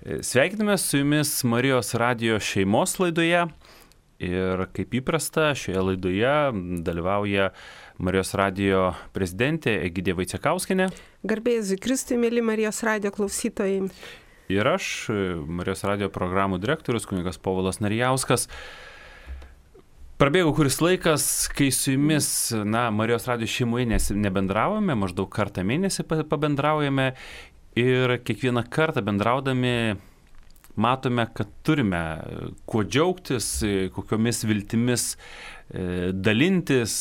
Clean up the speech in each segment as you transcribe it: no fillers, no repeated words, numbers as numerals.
Sveikiname su jumis Marijos radijo šeimos laidoje ir kaip įprasta šioje laidoje dalyvauja Marijos radijo prezidentė Egidija Vaicekauskienė. Garbė Jėzui Kristui, mėly Marijos radijo klausytojai. Ir aš, Marijos radijo programų direktorius, kunigas Povilas Narijauskas. Prabėgo kuris laikas, kai su jumis, Marijos radijo šeimoje nebendravome, maždaug kartą mėnesį pabendraujame ir kiekvieną kartą bendraudami matome, kad turime kuo džiaugtis, kokiomis viltimis dalintis,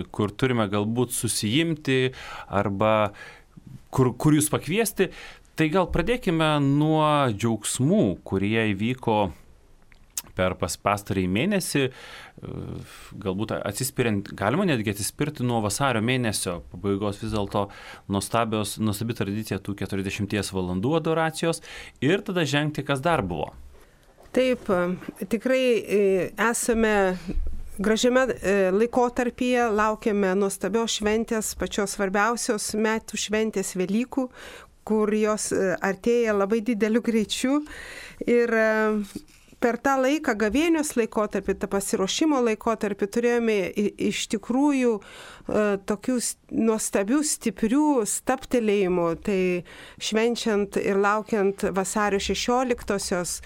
kur turime galbūt susijimti arba kur jūs pakviesti. Tai gal pradėkime nuo džiaugsmų, kurie įvyko per pastarąjį mėnesį, galbūt atsispiriant, galima netgi atsispirti nuo vasario mėnesio pabaigos, vis dėlto nuostabi tradicija tų 40 valandų adoracijos ir tada žengti, kas dar buvo. Taip, tikrai esame gražiame laikotarpyje, laukiame nuostabios šventės, pačios svarbiausios metų šventės Velykų, kur jos artėja labai dideliu greičiu ir per tą laiką, gavėnios laikotarpį, tą pasiruošimo laikotarpį, turėjome iš tikrųjų tokių nuostabių, stiprių stabtelėjimų. Tai švenčiant ir laukiant vasario 16-osios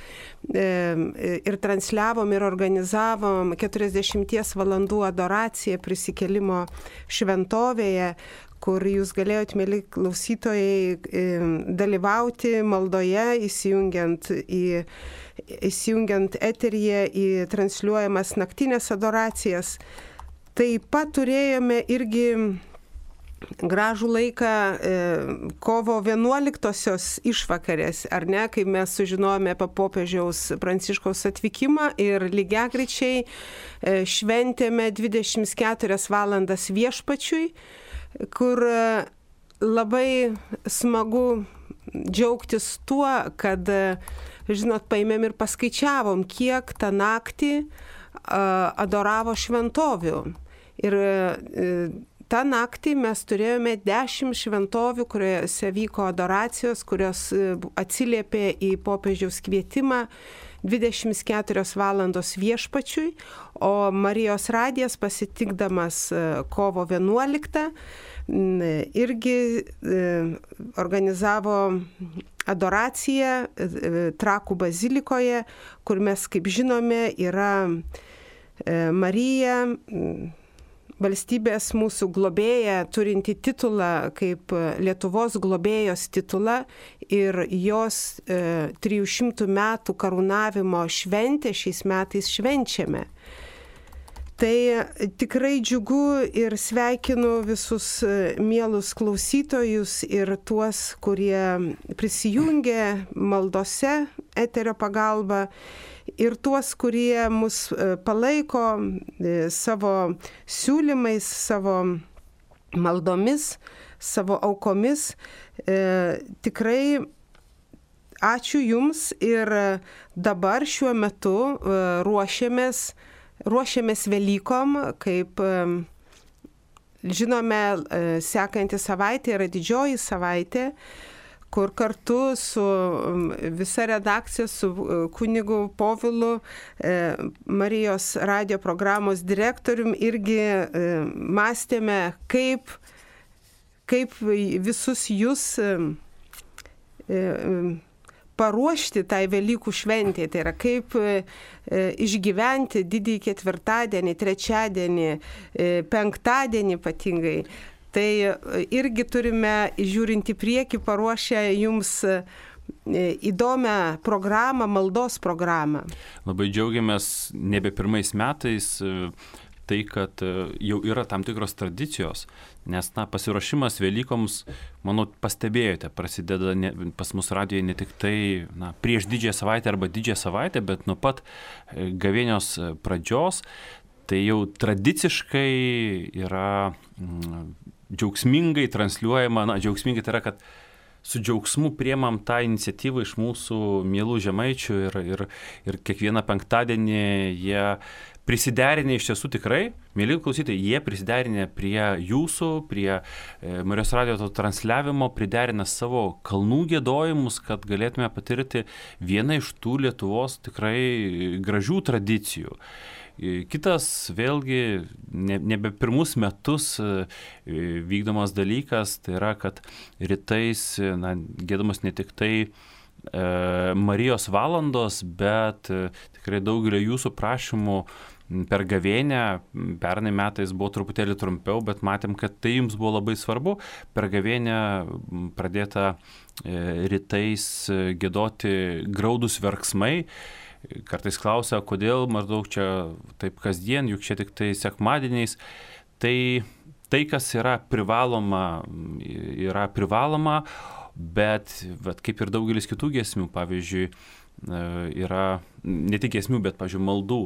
ir transliavom ir organizavom 40 valandų adoraciją prisikėlimo šventovėje, kur jūs galėjot, mėly klausytojai, dalyvauti maldoje, įsijungiant eteryje į transliuojamas naktinės adoracijas. Taip pat turėjome irgi gražų laiką kovo 11-osios išvakarės, ar ne, kai mes sužinojome apie popiežiaus Pranciškaus atvykimą ir lygiagrečiai šventėme 24 valandas viešpačiui, kur labai smagu džiaugtis tuo, kad, žinot, paėmėm ir paskaičiavom, kiek tą naktį adoravo šventovių. Ir tą naktį mes turėjome 10 šventovių, kuriuose vyko adoracijos, kurios atsiliepė į popiežiaus kvietimą 24 valandos viešpačiui, o Marijos radijas pasitikdamas kovo 11 irgi organizavo adoraciją Trakų bazilikoje, kur mes, kaip žinome, yra Marija, valstybės mūsų globėja, turinti titulą kaip Lietuvos globėjos titulą ir jos 300 metų karūnavimo šventę šiais metais švenčiame. Tai tikrai džiugu ir sveikinu visus mielus klausytojus ir tuos, kurie prisijungia maldose eterio pagalba ir tuos, kurie mus palaiko savo siūlymais, savo maldomis, savo aukomis. Tikrai ačiū Jums ir dabar šiuo metu ruošiamės Velykom, kaip žinome, sekanti savaitė yra didžioji savaitė, kur kartu su visa redakcija, su kunigu Povilu, Marijos radijo programos direktorium, irgi mąstėme, kaip visus jūs paruošti tai Velykų šventėje. Tai yra kaip išgyventi didįjį ketvirtadienį, trečiadienį, penktadienį ypatingai. Tai irgi turime, žiūrint į priekį, paruošę jums įdomią programą, maldos programą. Labai džiaugiamės nebe pirmais metais tai, kad jau yra tam tikros tradicijos, nes pasiruošimas Velykoms, manau, pastebėjote, prasideda pas mus radijoje ne tik tai prieš didžiąją savaitę arba didžiąją savaitę, bet nuo pat gavėnios pradžios, tai jau tradiciškai yra džiaugsmingai transliuojama, džiaugsmingai tai yra, kad su džiaugsmu priemam tą iniciatyvą iš mūsų mielų žemaičių ir kiekvieną penktadienį jie prisiderinę iš tiesų tikrai, mėly klausytojai, jie prisiderinę prie jūsų, prie Marijos radijo to transliavimo, priderina savo kalnų giedojimus, kad galėtume patirti vieną iš tų Lietuvos tikrai gražių tradicijų. Kitas vėlgi nebe pirmus metus vykdomas dalykas, tai yra, kad rytais giedamas ne tik tai Marijos valandos, bet tikrai daugelio jūsų prašymų per gavėnią, pernai metais buvo truputėlį trumpiau, bet matėm, kad tai jums buvo labai svarbu. Per gavėnią pradėta rytais giedoti graudus verksmai. Kartais klausia, kodėl maždaug čia taip kasdien, juk čia tik tai sekmadieniais. Tai kas yra privaloma, bet kaip ir daugelis kitų giesmių, pavyzdžiui, yra ne tik giesmių, bet, pavyzdžiui, maldų.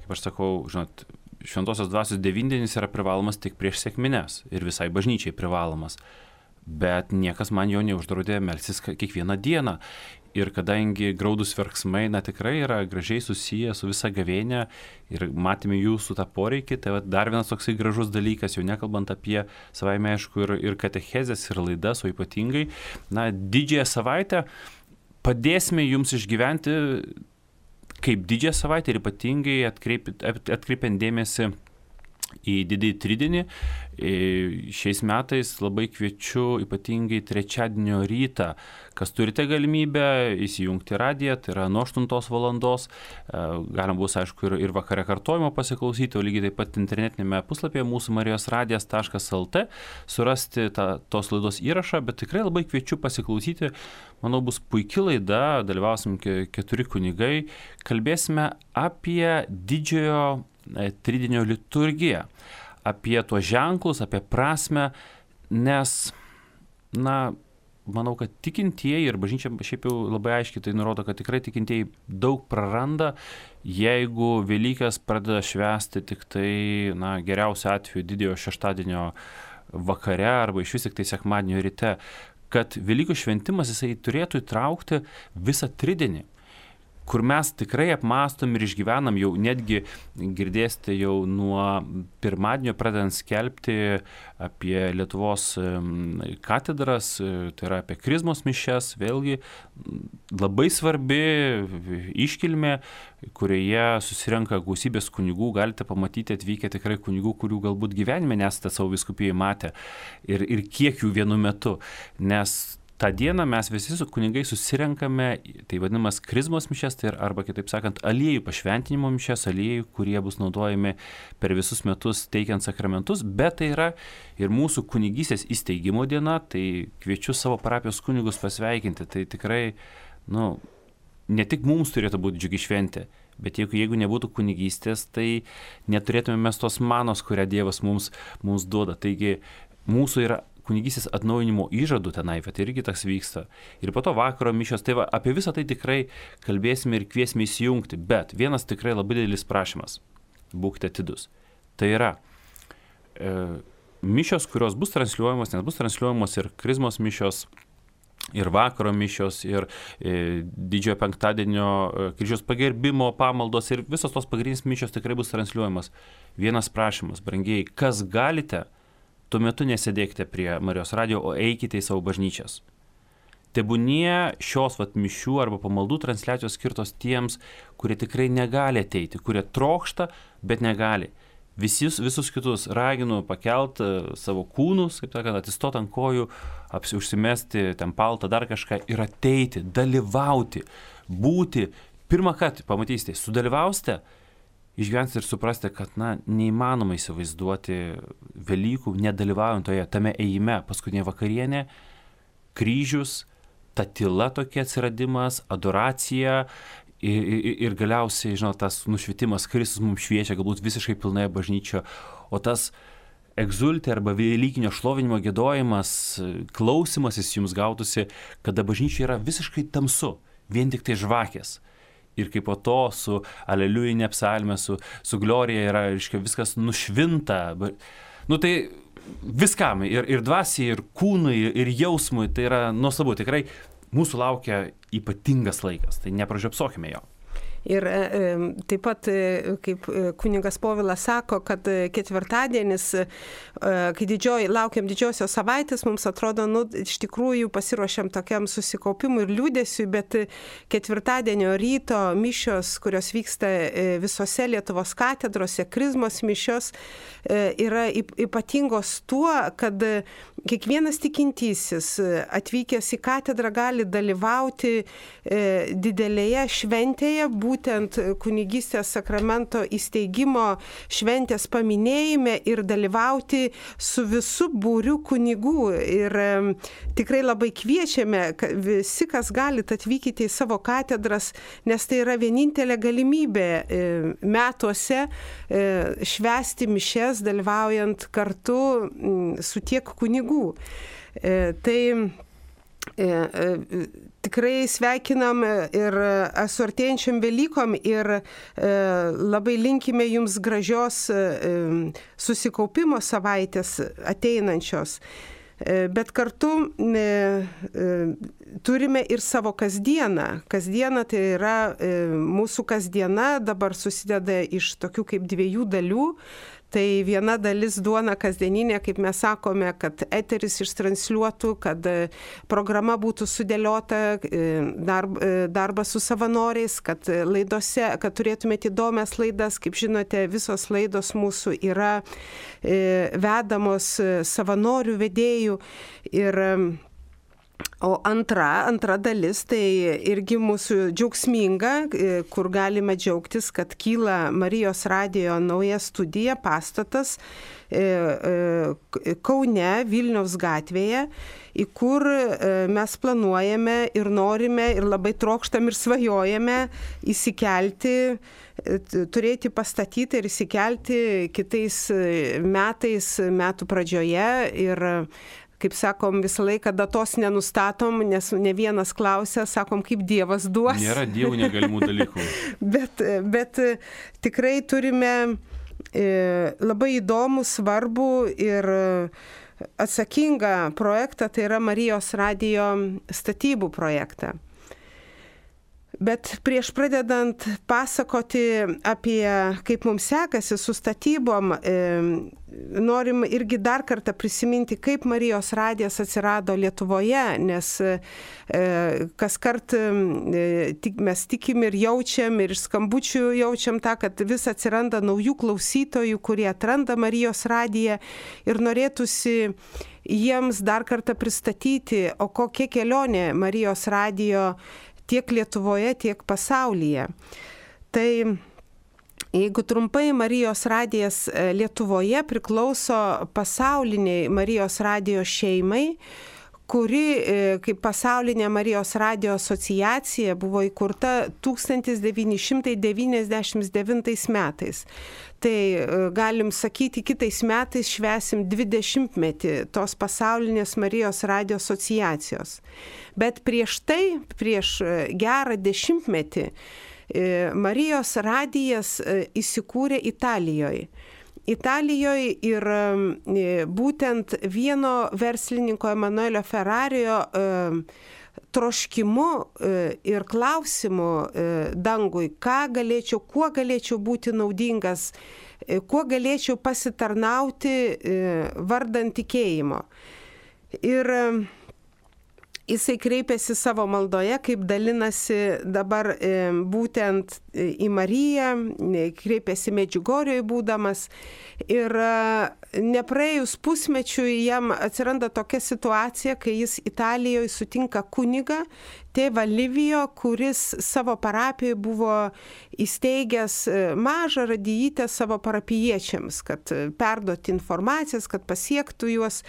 Kaip aš sakau, žinot, šventosios dvasios devindienis yra privalomas tik prieš sekmines ir visai bažnyčiai privalomas. Bet niekas man jo neuždraudė melstis kiekvieną dieną. Ir kadangi graudus verksmai, tikrai yra gražiai susiję su visa gavėnia ir matėme jūsų tą poreikį, tai dar vienas toksai gražus dalykas, jau nekalbant apie savaime aišku ir katechezės, ir laidas, o ypatingai, didžiąją savaitę padėsime jums išgyventi kaip didžiąją savaitę ir ypatingai atkreipiant dėmesį į didįjį tridienį. Šiais metais labai kviečiu ypatingai trečiadienio rytą, kas turite galimybę įsijungti radiją, tai yra nuo 8 valandos, galima bus aišku ir vakare kartojimo pasiklausyti, o lygiai taip pat internetinėme puslapyje mūsų marijosradijas.lt surasti tos laidos įrašą, bet tikrai labai kviečiu pasiklausyti, manau bus puiki laida, dalyvausim 4 kunigai, kalbėsime apie didžiojo tridienio liturgiją, apie tuos ženklus, apie prasmę, nes, manau, kad tikintieji ir bažnyčia šiaip jau labai aiškiai tai nurodo, kad tikrai tikintieji daug praranda, jeigu Velykas pradeda švęsti tik tai, geriausiu atveju didiojo šeštadienio vakare arba iš vis tik tai sekmadienio ryte, kad Velykų šventimas jisai turėtų įtraukti visą tridienį, kur mes tikrai apmąstom ir išgyvenam, jau netgi girdėsite jau nuo pirmadienio pradedant skelbti apie Lietuvos katedras, tai yra apie krizmos mišias, vėlgi labai svarbi iškilmė, kurioje susirenka gausybės kunigų, galite pamatyti atvykę tikrai kunigų, kurių galbūt gyvenime nesate savo vyskupijai matę ir kiek jų vienu metu, nes tą dieną mes visi su kunigai susirenkame, tai vadinamas krizmos mišias, tai arba kitaip sakant, aliejų pašventinimo mišias, aliejų, kurie bus naudojami per visus metus teikiant sakramentus, bet tai yra ir mūsų kunigystės įsteigimo diena, tai kviečiu savo parapijos kunigus pasveikinti, tai tikrai, ne tik mums turėtų būti džiugi šventė, bet jeigu nebūtų kunigystės, tai neturėtume mes tos manos, kurią Dievas mums duoda, taigi mūsų yra kunigystės atnaujinimo įžadų tenai, bet irgi tas vyksta. Ir po to vakaro mišios, tai apie visą tai tikrai kalbėsime ir kviesime įsijungti, bet vienas tikrai labai didelis prašymas, būkite atidus. Tai yra mišios, kurios bus transliuojamos, nes bus transliuojamos ir krizmos mišios, ir vakaro mišios, ir didžiojo penktadienio kryžiaus pagerbimo pamaldos, ir visos tos pagrindinės mišios tikrai bus transliuojamos. Vienas prašymas, brangieji, kas galite, tuo metu nesėdėkite prie Marijos radijo, o eikite į savo bažnyčias. Tebūnie šios mišių arba pamaldų transliacijos skirtos tiems, kurie tikrai negali ateiti, kurie trokšta, bet negali. Visus kitus raginu pakelti savo kūnus, kaip sakant, atsistoti ant kojų, užsimesti ten paltą, dar kažką ir ateiti, dalyvauti, būti. Pirmą kartą pamatysite, sudalyvausite, išgyvensite ir suprasite, kad neįmanoma įsivaizduoti Velykų, nedalyvaujant tame ėjime, paskutinė vakarienė, kryžius, ta tyla tokia atsiradimas, adoracija ir galiausiai, tas nušvitimas, Kristus mums šviečia, galbūt visiškai pilnoje bažnyčioje, o tas egzultė arba velykinio šlovinimo giedojimas, klausimasis jums gautųsi, kada bažnyčia yra visiškai tamsu, vien tik tai žvakės. Ir kaip po to su aleliujinė psalmė, su glorija yra, viskas nušvinta. Tai viskam, ir dvasiai, ir kūnui, ir jausmui, tai yra nuostabu. Tikrai mūsų laukia ypatingas laikas, tai nepražiopsokime jo. Ir taip pat, kaip kunigas Povilas sako, kad ketvirtadienis, kai laukiam didžiosios savaitės, mums atrodo, iš tikrųjų pasiruošiam tokiam susikaupimui ir liūdėsiui, bet ketvirtadienio ryto mišios, kurios vyksta visose Lietuvos katedrose, krizmos mišios, yra ypatingos tuo, kad kiekvienas tikintysis atvykęs į katedrą gali dalyvauti didelėje šventėje, būtent kunigystės sakramento įsteigimo šventės paminėjime ir dalyvauti su visu būriu kunigų. Ir tikrai labai kviečiame visi, kas galite, atvykite į savo katedras, nes tai yra vienintelė galimybė metuose švęsti mišes, dalyvaujant kartu su tiek kunigų. Tai tikrai sveikinam ir su artėjančiam Velykom ir labai linkime jums gražios susikaupimo savaitės ateinančios. Bet kartu turime ir savo kasdieną. Kasdiena tai yra mūsų kasdiena, dabar susideda iš tokių kaip dviejų dalių. Tai viena dalis duona kasdieninė, kaip mes sakome, kad eteris ištransliuotų, kad programa būtų sudėliota, darbas su savanoriais, kad laidose, kad turėtumėte įdomias laidas. Kaip žinote, visos laidos mūsų yra vedamos savanorių vedėjų. O antra dalis tai irgi mūsų džiaugsminga, kur galime džiaugtis, kad kyla Marijos radijo nauja studija, pastatas Kaune, Vilniaus gatvėje, į kur mes planuojame ir norime ir labai trokštam ir svajojame įsikelti, turėti pastatytą ir įsikelti kitais metais, metų pradžioje. Ir kaip sakom, visą laiką datos nenustatom, nes ne vienas klausia, sakom, kaip Dievas duos. Nėra Dievų negalimų dalykų. bet tikrai turime labai įdomų, svarbų ir atsakingą projektą, tai yra Marijos radijo statybų projektą. Bet prieš pradedant pasakoti apie kaip mums sekasi su statybom, norim irgi dar kartą prisiminti, kaip Marijos radijas atsirado Lietuvoje, nes kas kart mes tikim ir jaučiam, ir iš skambučių jaučiam tą, kad vis atsiranda naujų klausytojų, kurie atranda Marijos radiją ir norėtųsi jiems dar kartą pristatyti, o kokia kelionė Marijos radijo tiek Lietuvoje, tiek pasaulyje. Tai jeigu trumpai, Marijos radijas Lietuvoje priklauso pasauliniai Marijos radijo šeimai, kuri kaip pasaulinė Marijos radijo asociacija buvo įkurta 1999 metais. Tai galim sakyti, kitais metais švęsim 20-metį tos pasaulinės Marijos radijo asociacijos. Bet prieš tai, prieš gerą 10-metį, Marijos radijas įsikūrė Italijoje. Italijoje ir būtent vieno verslininko Emanuelio Ferrario troškimu ir klausimu dangui, kuo galėčiau būti naudingas, kuo galėčiau pasitarnauti vardan tikėjimo. Ir jisai kreipėsi savo maldoje, kaip dalinasi dabar būtent į Mariją, kreipėsi Medžiugorjoje būdamas. Ir nepraėjus pusmečiui jam atsiranda tokia situacija, kai jis Italijoje sutinka kunigą, tėvą Livijo, kuris savo parapijoje buvo įsteigęs mažą radijytę savo parapijiečiams, kad perduoti informacijas, kad pasiektų juos.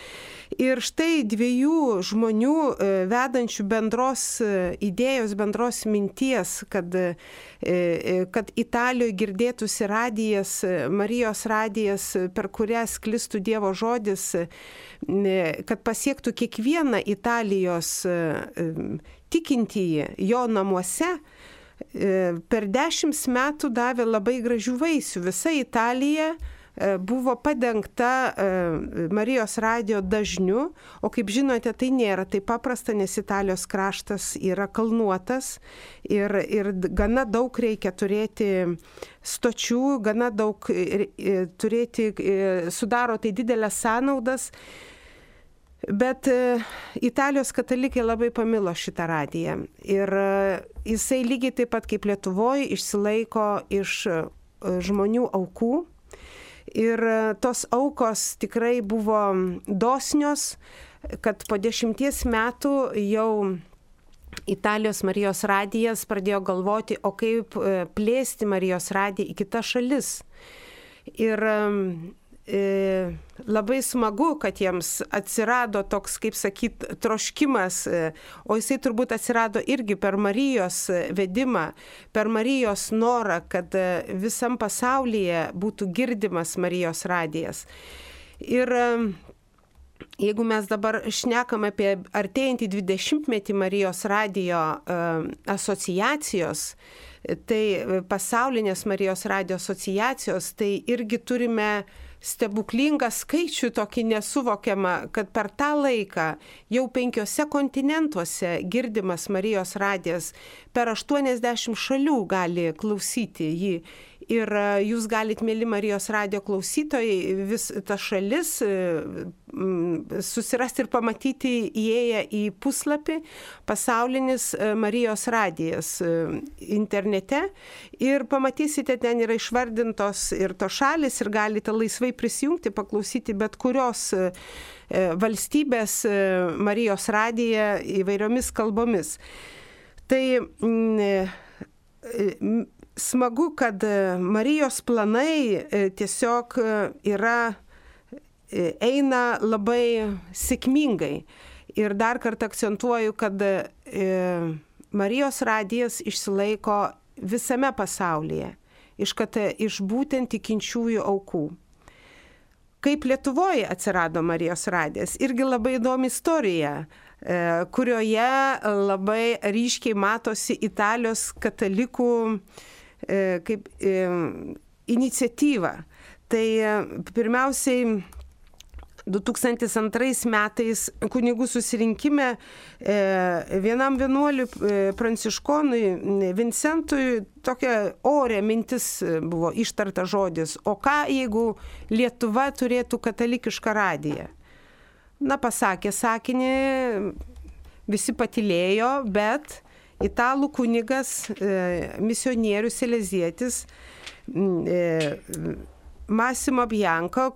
Ir štai dviejų žmonių vedančių bendros idėjos, bendros minties, kad Italijoje girdėtųsi radijas, Marijos radijas, per kurią sklistų Dievo žodis, kad pasiektų kiekvieną Italijos tikintįjį jo namuose, per 10 metų davė labai gražių vaisių. Visa Italija buvo padengta Marijos radijo dažniu, o kaip žinote, tai nėra taip paprasta, nes Italijos kraštas yra kalnuotas ir gana daug reikia turėti stočių, gana daug turėti, sudaro tai didelės sąnaudas. Bet Italijos katalikai labai pamilo šitą radiją ir jisai lygiai taip pat kaip Lietuvoje išsilaiko iš žmonių aukų ir tos aukos tikrai buvo dosnios, kad po 10 metų jau Italijos Marijos radijas pradėjo galvoti, o kaip plėsti Marijos radiją į kitas šalis. Ir labai smagu, kad jiems atsirado toks, kaip sakyt, troškimas, o jisai turbūt atsirado irgi per Marijos vedimą, per Marijos norą, kad visam pasaulyje būtų girdimas Marijos radijas. Ir jeigu mes dabar šnekam apie artėjantį 20-metį Marijos radijo asociacijos, tai pasaulinės Marijos radijo asociacijos, tai irgi turime stebuklingą skaičių, tokį nesuvokiamą, kad per tą laiką jau 5 kontinentuose girdimas Marijos radijas, per 80 šalių gali klausyti jį. Ir jūs galit, mėly Marijos radijo klausytojai, vis tas šalis susirasti ir pamatyti įėję į puslapį pasaulinis Marijos radijas internete ir pamatysite, ten yra išvardintos ir to šalis ir galite laisvai prisijungti, paklausyti bet kurios valstybės Marijos radiją įvairiomis kalbomis. Tai smagu, kad Marijos planai tiesiog eina labai sėkmingai. Ir dar kartą akcentuoju, kad Marijos radijas išsilaiko visame pasaulyje, iš būtent tikinčiųjų aukų. Kaip Lietuvoje atsirado Marijos radijas, irgi labai įdomi istorija, kurioje labai ryškiai matosi Italijos katalikų kaip iniciatyva. Tai pirmiausiai 2002 metais kunigų susirinkime vienam vienuoliui pranciškonui Vincentui tokia orė mintis buvo ištarta žodis, o ką jeigu Lietuva turėtų katalikišką radiją? Na, pasakė sakinį, visi patylėjo, bet italų kunigas, misionierius Selezietis, Massimo Bianco,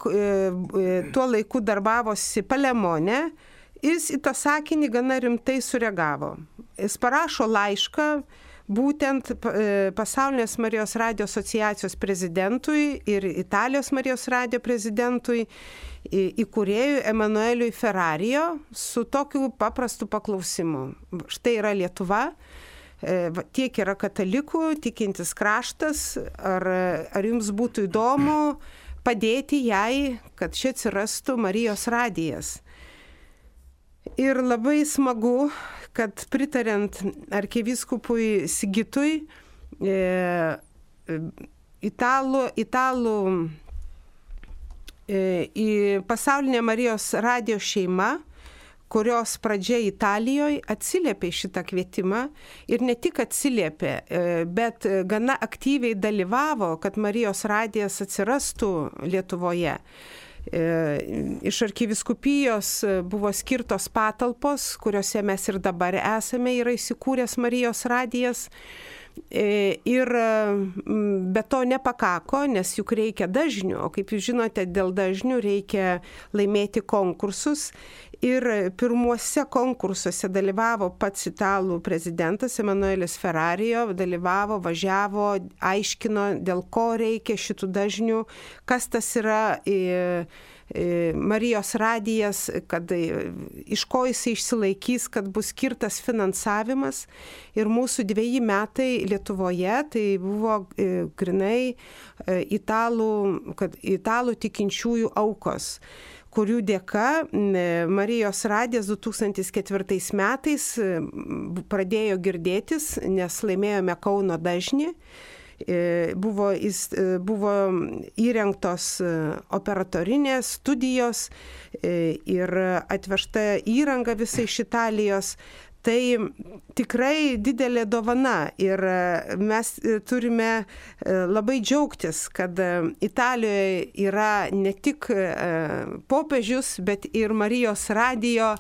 tuo laiku darbavosi Palemone, jis į tą sakinį gana rimtai sureagavo. Jis parašo laišką būtent Pasaulinės Marijos radijo asociacijos prezidentui ir Italijos Marijos radijo prezidentui, įkūrėjui Emanueliui Ferrarijo su tokiu paprastu paklausimu. Štai yra Lietuva, tiek yra katalikų, tikintis kraštas, ar jums būtų įdomu padėti jai, kad čia atsirastų Marijos radijas. Ir labai smagu, kad pritariant arkivyskupui Sigitui, italų į Pasaulinę Marijos radijo šeimą, kurios pradžia Italijoje atsiliepė šitą kvietimą ir ne tik atsiliepė, bet gana aktyviai dalyvavo, kad Marijos radijas atsirastų Lietuvoje. Iš arkivyskupijos buvo skirtos patalpos, kuriuose mes ir dabar esame, yra įsikūręs Marijos radijas. Ir be to nepakako, nes juk reikia dažnių, o kaip jūs žinote, dėl dažnių reikia laimėti konkursus. Ir pirmuose konkursuose dalyvavo pats italų prezidentas Emanuelis Ferrarijo, dalyvavo, važiavo, aiškino, dėl ko reikia šitų dažnių, kas tas yra Marijos radijas, kad iš ko jisai išsilaikys, kad bus skirtas finansavimas. Ir mūsų 2 metai Lietuvoje tai buvo grinai italų tikinčiųjų aukos, kurių dėka Marijos radijas 2004 metais pradėjo girdėtis, nes laimėjome Kauno dažnį. buvo įrengtos operatorinės studijos ir atvežta įranga visai iš Italijos. Tai tikrai didelė dovana ir mes turime labai džiaugtis, kad Italijoje yra ne tik popiežius, bet ir Marijos radijo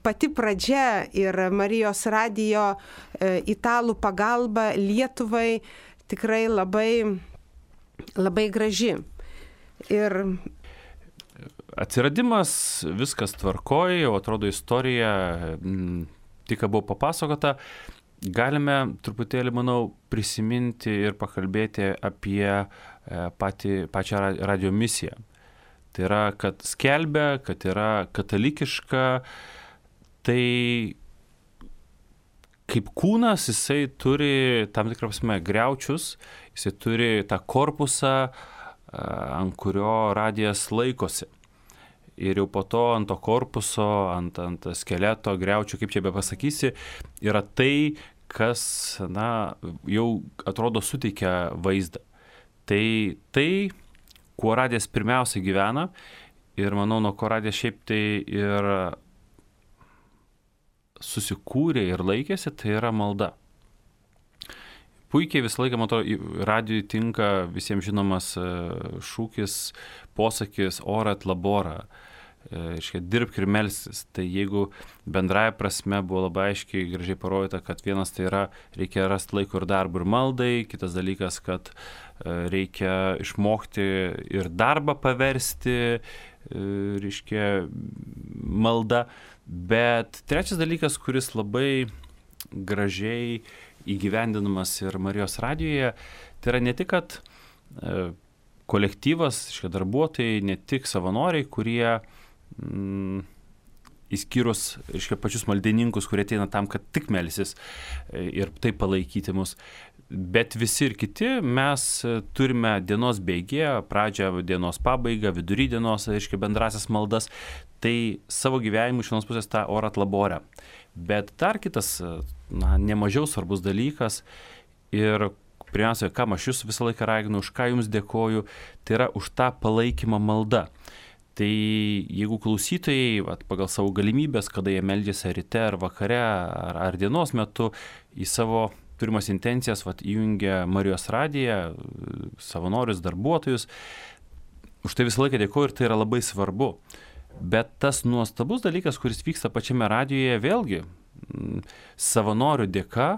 pati pradžia ir Marijos radijo italų pagalba Lietuvai tikrai labai, labai graži. Ir atsiradimas viskas tvarkoj, jau atrodo istorija tik buvo papasakota, galime truputėlį, manau, prisiminti ir pakalbėti apie pačią radio misiją. Tai yra, kad skelbia, kad yra katalikiška, tai kaip kūnas jisai turi tam tikrą prasme griaučius, jisai turi tą korpusą, ant kurio radijas laikosi. Ir jau po to ant to korpuso, ant skeleto, griaučių, kaip čia be pasakysi, yra tai, kas, jau atrodo suteikia vaizdą. Tai, kuo radijas pirmiausia gyvena, ir manau, nuo ko radijas šiaip tai ir susikūrė ir laikėsi, tai yra malda. Puikiai visą laiką, matau, radijui tinka visiems žinomas šūkis, posakis orat labora. Dirbk ir melstis. Tai jeigu bendraja prasme buvo labai aiškiai gražiai parodyta, kad vienas tai yra, reikia rasti laiko ir darbą ir maldai, kitas dalykas, kad reikia išmokti ir darbą paversti, malda. Bet trečias dalykas, kuris labai gražiai įgyvendinamas ir Marijos radijoje, tai yra ne tik, kad kolektyvas, darbuotojai, ne tik savanoriai, kurie įskyrus pačius maldininkus, kurie ateina tam, kad tik melsis ir taip palaikyti mus, bet visi ir kiti mes turime dienos bėgėje, pradžią dienos pabaigą, vidury dienos, bendrasias maldas, tai savo gyvenimu iš vienos pusės tą orat laborę. Bet dar kitas, nemažiau svarbus dalykas ir pirmiausia, kam aš jūs visą laiką raginu, už ką jums dėkoju, tai yra už tą palaikymą malda. Tai jeigu klausytojai pagal savo galimybės, kada jie meldžiasi ryte ar vakare ar dienos metu į savo turimas intencijas įjungia Marijos radiją, savanorius, darbuotojus, už tai visą laiką dėkoju ir tai yra labai svarbu. Bet tas nuostabus dalykas, kuris vyksta pačiame radijoje, vėlgi savanorių dėka,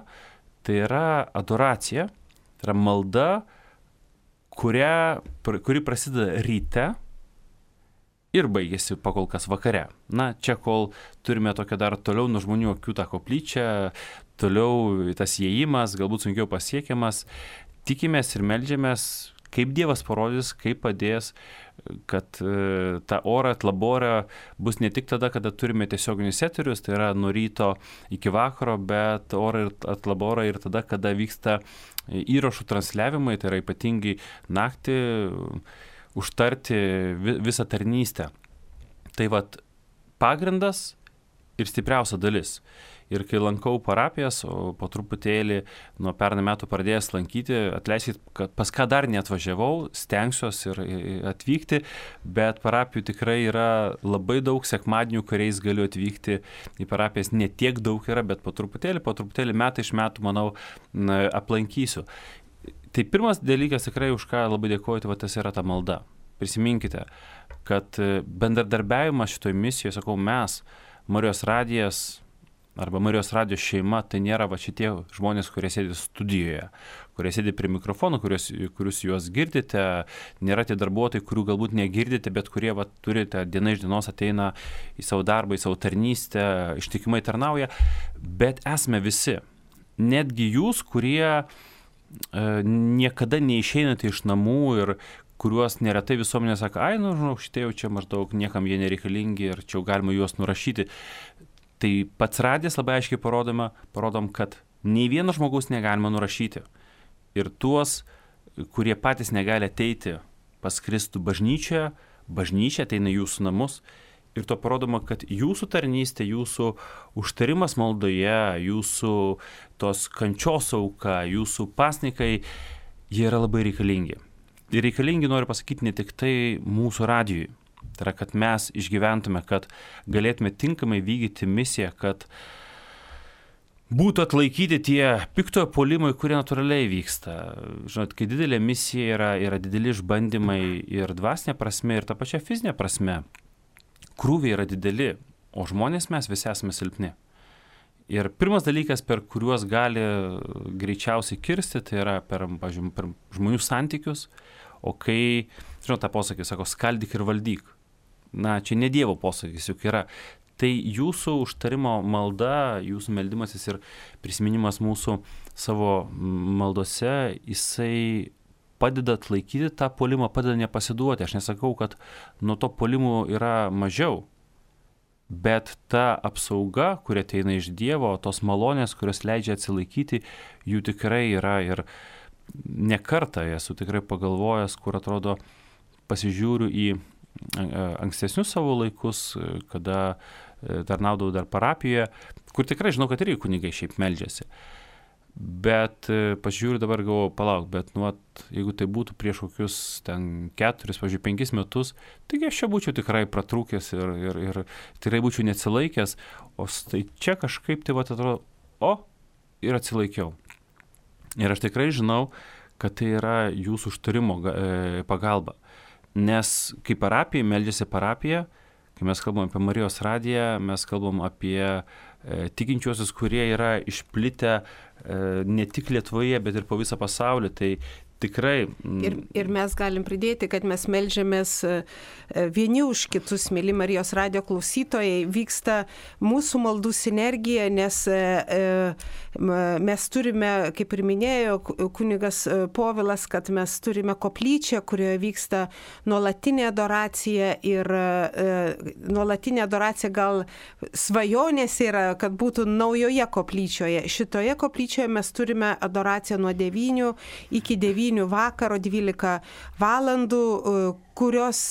tai yra adoracija, tai yra malda, kuri prasideda ryte ir baigėsi pakol kas vakare. Čia kol turime tokią dar toliau nuo žmonių akių tą koplyčią, toliau tas įėjimas, galbūt sunkiau pasiekiamas, tikimės ir meldžiamės, kaip Dievas parodys, kaip padės, kad ta orat labora bus ne tik tada, kada turime tiesioginius eterius, tai yra nuo ryto iki vakaro, bet orat labora ir tada, kada vyksta įrašų transliavimai, tai yra ypatingai naktį, užtarti visą tarnystę. Tai pagrindas ir stipriausia dalis. Ir kai lankau parapijas, o po truputėlį nuo pernai metų pradėjęs lankyti, atleiskit, kad pas ką dar neatvažiavau, stengsiuos ir atvykti, bet parapijų tikrai yra labai daug sekmadienių, kuriais galiu atvykti į parapijas. Ne tiek daug yra, bet po truputėlį metai iš metų, manau, aplankysiu. Tai pirmas dalykas tikrai, už ką labai dėkoju, tai tas yra ta malda. Prisiminkite, kad bendradarbiavimas šitoj misijoje, sakau, mes, Marijos radijas arba Marijos radijo šeima, tai nėra šitie žmonės, kurie sėdi studijoje, kurie sėdi prie mikrofonų, kurius juos girdite, nėra tie darbuotojai, kurių galbūt negirdite, bet kurie turite diena iš dienos ateina į savo darbą, į savo tarnystę, ištikimai tarnauja, bet esame visi. Netgi jūs, kurie niekada neišeinate iš namų ir kuriuos neretai visuomenė sako, šitie jau čia maždaug niekam jie nereikalingi ir čia jau galima juos nurašyti. Tai pats radijas labai aiškiai parodom, kad nei vieno žmogaus negalima nurašyti. Ir tuos, kurie patys negali ateiti pas Kristų bažnyčia ateina į jūsų namus. Ir to parodoma, kad jūsų tarnystė, jūsų užtarimas maldoje, jūsų tos kančios auka, jūsų pasnikai jie yra labai reikalingi. Ir reikalingi, noriu pasakyti, ne tik tai mūsų radijui. Tai yra, kad mes išgyventume, kad galėtume tinkamai vykdyti misiją, kad būtų atlaikyti tie piktojo puolimai, kurie natūraliai vyksta. Žinot, kai didelė misija yra dideli išbandymai ir dvasinė prasme, ir ta pačia fizinė prasme. Krūviai yra dideli, o žmonės mes visi esame silpni. Ir pirmas dalykas, per kuriuos gali greičiausiai kirsti, tai yra per žmonių santykius, o kai, žinot, tą posakį sako, skaldyk ir valdyk. Na, čia ne Dievo posakis juk yra. Tai jūsų užtarimo malda, jūsų meldimasis ir prisiminimas mūsų savo maldose, jisai padeda atlaikyti tą puolimą, padeda nepasiduoti. Aš nesakau, kad nuo to puolimų yra mažiau. Bet ta apsauga, kuri ateina iš Dievo, tos malonės, kurios leidžia atsilaikyti, jų tikrai yra ir ne kartą esu tikrai pagalvojęs, kur atrodo pasižiūriu į ankstesnius savo laikus, kada tarnaudavau dar parapijoje, kur tikrai žinau, kad irgi kunigai šiaip meldžiasi. Bet pasižiūriu dabar, galvoju, palauk, bet jeigu tai būtų prieš kokius ten 4, 5 metus, taigi aš čia būčiau tikrai pratrūkęs ir tikrai būčiau neatsilaikęs, o tai čia kažkaip tai atrodo, ir atsilaikiau. Ir aš tikrai žinau, kad tai yra jūsų užtarimo pagalba. Nes kai parapijai meldžiasi parapija, kai mes kalbam apie Marijos radiją, mes kalbam apie tikinčiuosius, kurie yra išplitę ne tik Lietuvoje, bet ir po visą pasaulį. Tai tikrai. Ir mes galim pridėti, kad mes meldžiamės vieni už kitus, mėly Marijos radijo klausytojai, vyksta mūsų maldų sinergija, nes mes turime, kaip ir minėjo kunigas Povilas, kad mes turime koplyčią, kurioje vyksta nuolatinė adoracija ir nuolatinė adoracija gal svajonės yra, kad būtų naujoje koplyčioje. Šitoje koplyčioje mes turime adoraciją nuo 9 iki 9 vakaro 12 valandų, kurios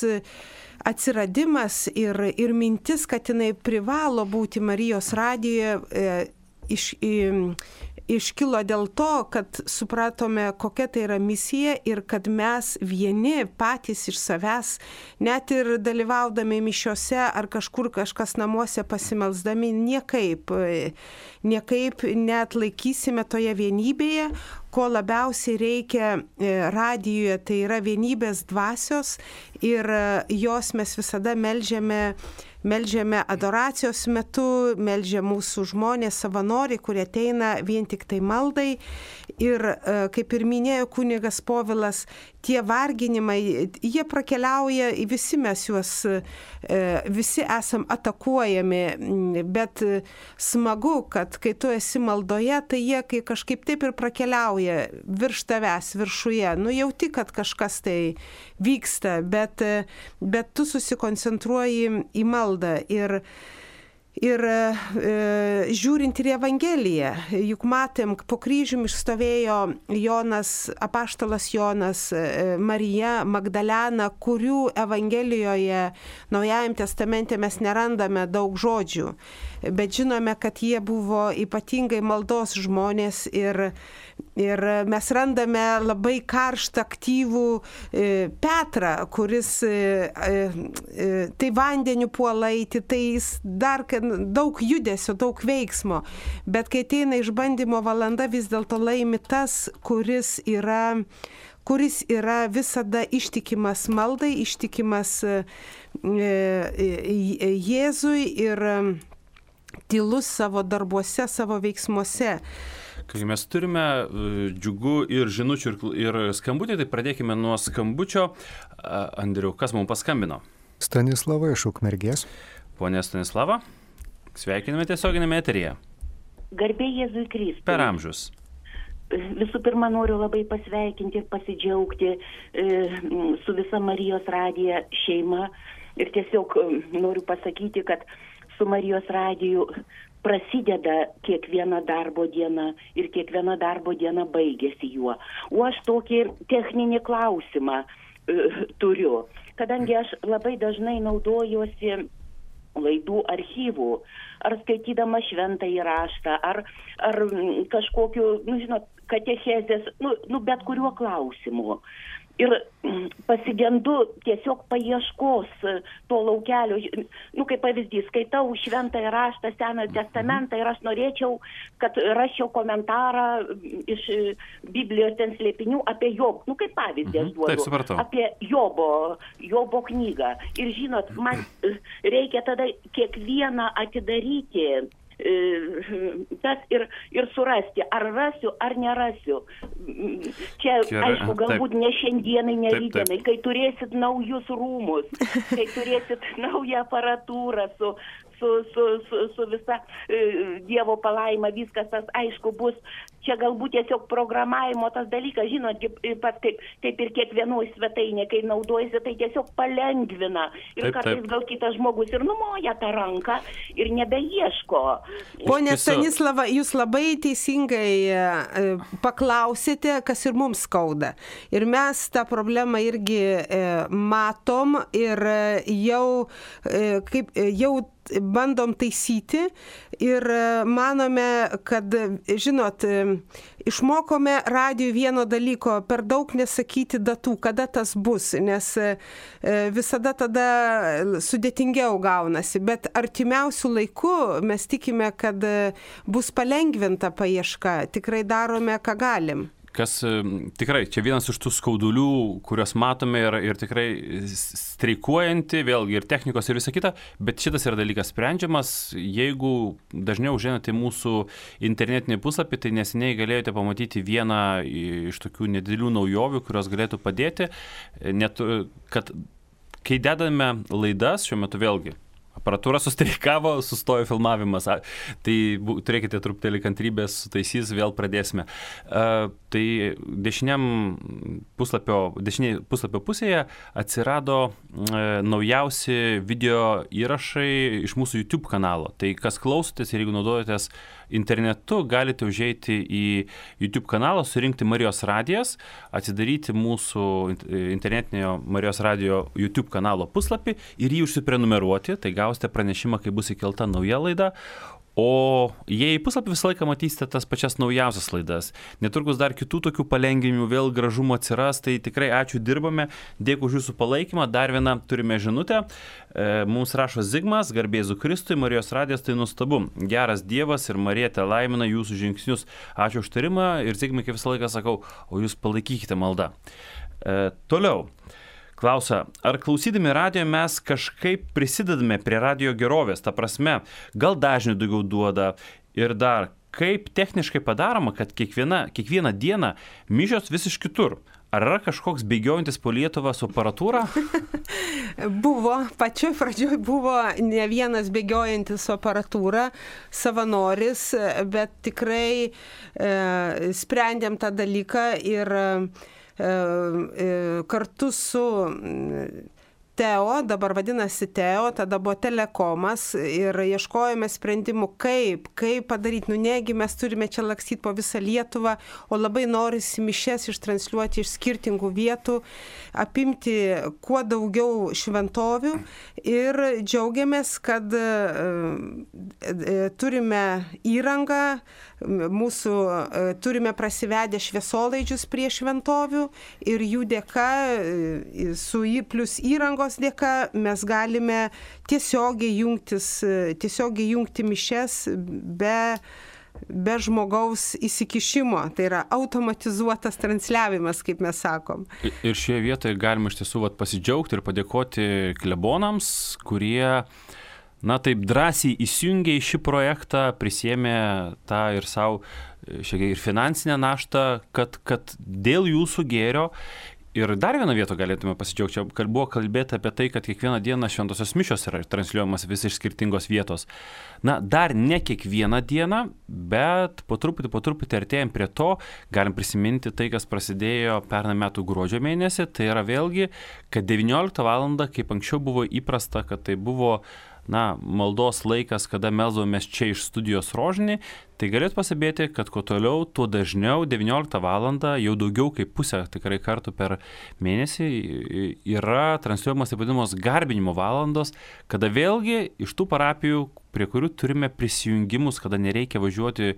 atsiradimas ir mintis, kad jinai privalo būti Marijos radijoje, iškilo dėl to, kad supratome, kokia tai yra misija ir kad mes vieni patys iš savęs, net ir dalyvaudami mišiose ar kažkur kažkas namuose pasimelsdami, niekaip neatlaikysime toje vienybėje, ko labiausiai reikia radijuje, tai yra vienybės dvasios ir jos mes visada meldžiame adoracijos metu, meldžia mūsų žmonės, savanoriai, kurie ateina vien tik tai maldai. Ir kaip ir minėjo kunigas Povilas, tie varginimai, jie prakeliauja, visi mes juos, visi esam atakuojami, bet smagu, kad kai tu esi maldoje, tai jie kai kažkaip taip ir prakeliauja virš tavęs, viršuje. Jauti, kad kažkas tai vyksta, bet tu susikoncentruoji į maldą ir žiūrint ir Evangeliją, juk matėm, po kryžium išstovėjo Jonas, apaštalas Jonas, Marija, Magdalena, kurių Evangelijoje Naujajam testamente mes nerandame daug žodžių, bet žinome, kad jie buvo ypatingai maldos žmonės ir mes randame labai karštą, aktyvų Petrą, kuris tai vandeniu puola eiti, tai jis dar daug judesio, daug veiksmo, bet kai ateina išbandymo valanda, vis dėlto laimi tas, kuris yra visada ištikimas maldai, ištikimas Jėzui ir tylus savo darbuose, savo veiksmuose. Kai mes turime džiugų ir žinučių ir skambutį, tai pradėkime nuo skambučio. Andriau, kas mums paskambino? Stanislava iš Ukmergės. Pone Stanislava, sveikiname tiesioginėme eteryje. Garbė Jėzui Kristui. Per amžius. Visų pirma, noriu labai pasveikinti ir pasidžiaugti su visa Marijos radija šeima. Ir tiesiog noriu pasakyti, kad su Marijos radiju prasideda kiekviena darbo diena ir kiekviena darbo diena baigėsi juo. O aš tokį techninį klausimą turiu, kadangi aš labai dažnai naudojuosi laidų archyvų, ar skaitydama šventąjį raštą, ar kažkokiu, žinot, katechezės, bet kuriuo klausimu. Ir pasigendu tiesiog paieškos to laukelio. Kaip pavyzdys, skaitau Šventąjį raštą, Senąjį testamentą ir aš norėčiau, kad raščiau komentarą iš Biblijos ten slėpinių apie Jobą. Kaip pavyzdį aš duodu. Apie Jobo knygą. Ir žinot, man reikia tada kiekvieną atidaryti tas ir surasti, ar rasiu, ar nerasiu. Čia, aišku, galbūt ne šiandienai, ne rytdienai, kai turėsit naujus rūmus, kai turėsit naują aparatūrą su visa Dievo palaima, viskas tas, aišku, bus. Čia galbūt tiesiog programavimo tas dalykas, žinot, pat kaip ir kiekvienoj svetainė, kai naudojasi, tai tiesiog palengvina. Ir kartais gal kitas žmogus ir numoja tą ranką ir nebeieško. Pone Stanislava, jūs labai teisingai paklausėte, kas ir mums skauda. Ir mes tą problemą irgi matom ir jau bandom taisyti ir manome, kad, žinot, išmokome radijui vieno dalyko, per daug nesakyti datų, kada tas bus, nes visada tada sudėtingiau gaunasi, bet artimiausių laikų mes tikime, kad bus palengvinta paieška, tikrai darome, ką galim. Kas tikrai, čia vienas iš tų skaudulių, kuriuos matome ir tikrai streikuojanti, vėlgi ir technikos ir visa kita, bet šitas yra dalykas sprendžiamas. Jeigu dažniau užeinate mūsų internetinį puslapį, tai neseniai galėjote pamatyti vieną iš tokių nedidelių naujovių, kurios galėtų padėti, net kad kai dedame laidas, šiuo metu vėlgi, aparatūra sustreikavo, sustojo filmavimas, tai turėkite truputėlį kantrybės, sutaisys, vėl pradėsime. Tai dešinėje puslapio pusėje atsirado naujausi video įrašai iš mūsų YouTube kanalo. Tai kas klausotės ir jeigu naudojatės internetu, galite užeiti į YouTube kanalą, surinkti Marijos radijas, atsidaryti mūsų internetinio Marijos radijo YouTube kanalo puslapį ir jį užsiprenumeruoti, tai gausite pranešimą, kai bus įkelta nauja laida. O jei į puslapį visą laiką matysite tas pačias naujausias laidas. Netrukus dar kitų tokių palengvinimų, vėl gražumo atsiras, tai tikrai ačiū, dirbame, dėkui už jūsų palaikymą. Dar vieną turime žinutę. Mums rašo Zigmas, garbė Jėzui Kristui, Marijos radijas, tai nuostabu. Geras Dievas ir Marija te laimina jūsų žingsnius. Ačiū už tarimą ir Zigmai, kaip visą laiką sakau, o jūs palaikykite maldą. Toliau. Klausia, ar klausydami radijo mes kažkaip prisidedame prie radijo gerovės, ta prasme, gal dažnių daugiau duoda ir dar, kaip techniškai padaroma, kad kiekvieną dieną mišios vis iš kitur. Ar yra kažkoks bėgiojantis po Lietuvą su aparatūra? Buvo, pačioj pradžioj buvo ne vienas bėgiojantis su aparatūra, savanoris, bet tikrai sprendėm tą dalyką ir kartu su Teo, dabar vadinasi Teo, tada buvo Telekomas ir ieškojome sprendimų, kaip padaryti. Negi mes turime čia lakstyti po visą Lietuvą, o labai norisi mišias ištransliuoti iš skirtingų vietų, apimti kuo daugiau šventovių ir džiaugiamės, kad turime įrangą, turime prasivedę šviesolaidžius prie šventovių ir jų dėka, plus įrangos dėka, mes galime tiesiogiai jungti mišias be žmogaus įsikišimo. Tai yra automatizuotas transliavimas, kaip mes sakom. Ir šioje vietoje galima iš tiesų pasidžiaugti ir padėkoti klebonams, kurie taip drąsiai įsijungė į šį projektą, prisėmė tą ir savo šiek tiek ir finansinę naštą, kad dėl jūsų gėrio. Ir dar vieną vietą galėtume pasidžiaugti. Čia buvo kalbėta apie tai, kad kiekvieną dieną šventosios mišios yra transliuojamas vis iš skirtingos vietos. Dar ne kiekvieną dieną, bet po truputį artėjant prie to, galim prisiminti tai, kas prasidėjo pernai metų gruodžio mėnesį. Tai yra vėlgi, kad 19 valandą, kaip anksčiau buvo įprasta, kad tai buvo maldos laikas, kada melsdavomės čia iš studijos Rožinį, tai galėt pastebėti, kad kuo toliau, tuo dažniau 19 valandą, jau daugiau kaip pusę tikrai kartų per mėnesį yra transliuojamos taip vadinamos garbinimo valandos, kada vėlgi iš tų parapijų, prie kurių turime prisijungimus, kada nereikia važiuoti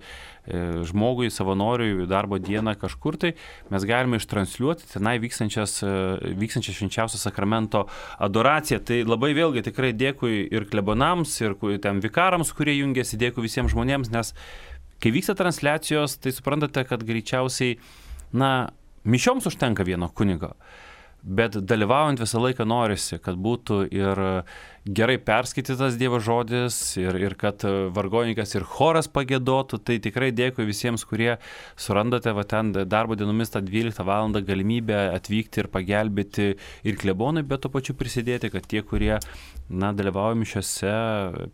žmogui, savanoriui darbo dieną kažkur, tai mes galime ištransliuoti tenai vykstančią švenčiausio sakramento adoraciją. Tai labai vėlgi tikrai dėkui ir klebonams, ir ten vikarams, kurie jungiasi, dėkui visiems žmonėms, nes kai vyksta transliacijos, tai suprantate, kad greičiausiai, mišioms užtenka vieno kunigo. Bet dalyvaujant visą laiką norisi, kad būtų ir gerai perskaitytas Dievo žodis, ir kad vargonininkas ir choras pagiedotų. Tai tikrai dėkui visiems, kurie surandate ten darbo dienomis tą 12 valandą galimybę atvykti ir pagelbėti ir klebonui, bet to pačiu prisidėti, kad tie, kurie dalyvauja mišiose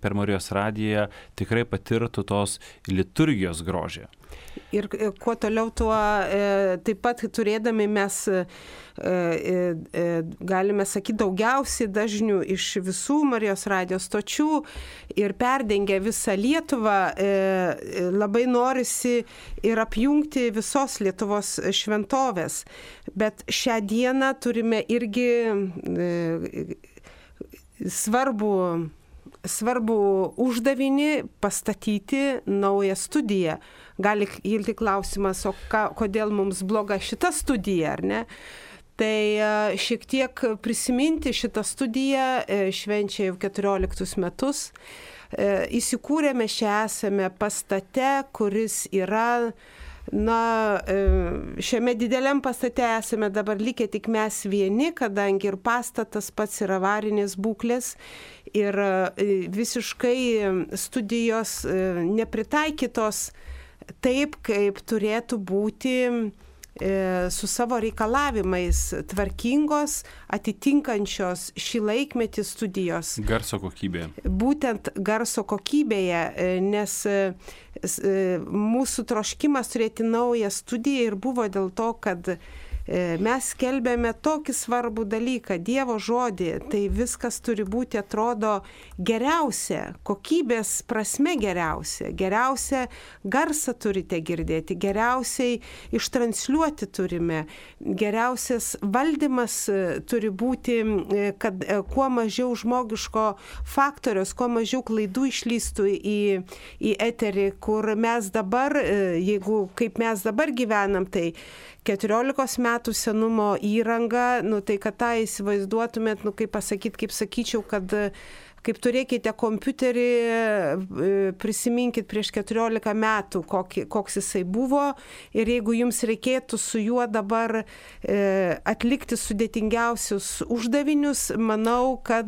per Marijos radiją, tikrai patirtų tos liturgijos grožį. Ir kuo toliau, tuo taip pat turėdami mes, galime sakyti, daugiausiai dažnių iš visų Marijos radijos stočių ir perdengia visą Lietuvą, labai norisi ir apjungti visos Lietuvos šventovės. Bet šią dieną turime irgi svarbų uždavinį pastatyti naują studiją. Gali kilti klausimas, o kodėl mums bloga šita studija, ar ne? Tai šiek tiek prisiminti šitą studiją, švenčia jau 14 metus. Įsikūrėme esame pastate, kuris yra, šiame dideliam pastate esame dabar likę tik mes vieni, kadangi ir pastatas pats yra avarinės būklės ir visiškai studijos nepritaikytos taip, kaip turėtų būti su savo reikalavimais, tvarkingos, atitinkančios šį laikmetį studijos. Garso kokybė. Būtent garso kokybėje, nes mūsų troškimas turėti naują studiją ir buvo dėl to, kad mes skelbėme tokį svarbų dalyką, Dievo žodį, tai viskas turi būti, atrodo, geriausia, kokybės prasme geriausia, geriausia garsą turite girdėti, geriausiai ištransliuoti turime, geriausias valdymas turi būti, kad kuo mažiau žmogiško faktoriaus, kuo mažiau klaidų išlystų į eterį, kur mes dabar, jeigu kaip mes dabar gyvenam, tai 14 metų senumo įranga, tai kad tą įsivaizduotumėt, kaip sakyčiau, kad kaip turėkite kompiuterį, prisiminkit prieš 14 metų, koks jisai buvo, ir jeigu jums reikėtų su juo dabar atlikti sudėtingiausius uždavinius, manau, kad